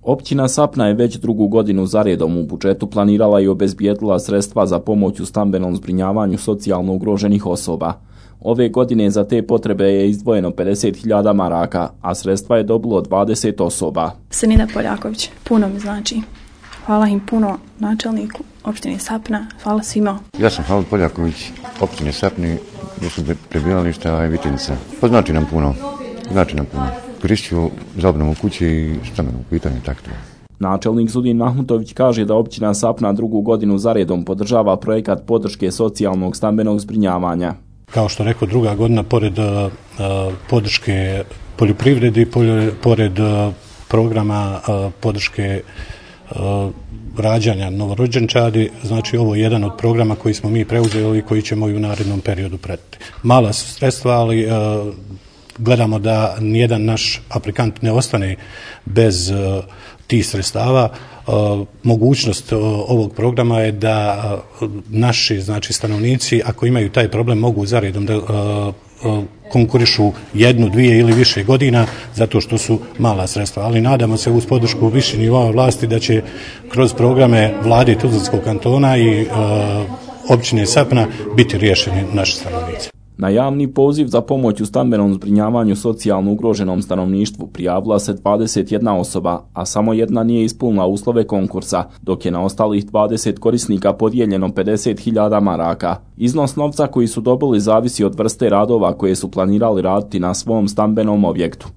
Općina Sapna je već drugu godinu za redom u budžetu planirala i obezbijedila sredstva za pomoć u stambenom zbrinjavanju socijalno ugroženih osoba. Ove godine za te potrebe je izdvojeno 50.000 maraka, a sredstva je dobilo 20 osoba. Senida Poljaković, puno mi znači. Hvala im puno, načelniku opštine Sapna, hvala svima. Ja sam Hvala Poljaković, opštine Sapni, gdje su prebivališta i vikendica. Pa znači nam puno. Korišću za obnovu kuće i stambeno pitanje takto. Načelnik Zudin Mahmutović kaže da općina Sapna drugu godinu za redom podržava projekat podrške socijalnog stambenog zbrinjavanja. Kao što rekao, druga godina pored podrške poljoprivredi, pored programa podrške rađanja novorođenčadi, znači ovo je jedan od programa koji smo mi preuzeli i koji ćemo i u narednom periodu pratiti. Mala su sredstva, ali gledamo da nijedan naš aplikant ne ostane bez tih sredstava. Mogućnost ovog programa je da naši stanovnici, ako imaju taj problem, mogu zaredom da konkurišu 1, 2 ili više godina zato što su mala sredstva. Ali nadamo se uz podršku viših nivoa vlasti da će kroz programe vlade Tuzlanskog kantona i općine Sapna biti riješeni naši stanovnici. Na javni poziv za pomoć u stambenom zbrinjavanju socijalno ugroženom stanovništvu prijavila se 21 osoba, a samo jedna nije ispunila uslove konkursa, dok je na ostalih 20 korisnika podijeljeno 50.000 maraka. Iznos novca koji su dobili zavisi od vrste radova koje su planirali raditi na svom stambenom objektu.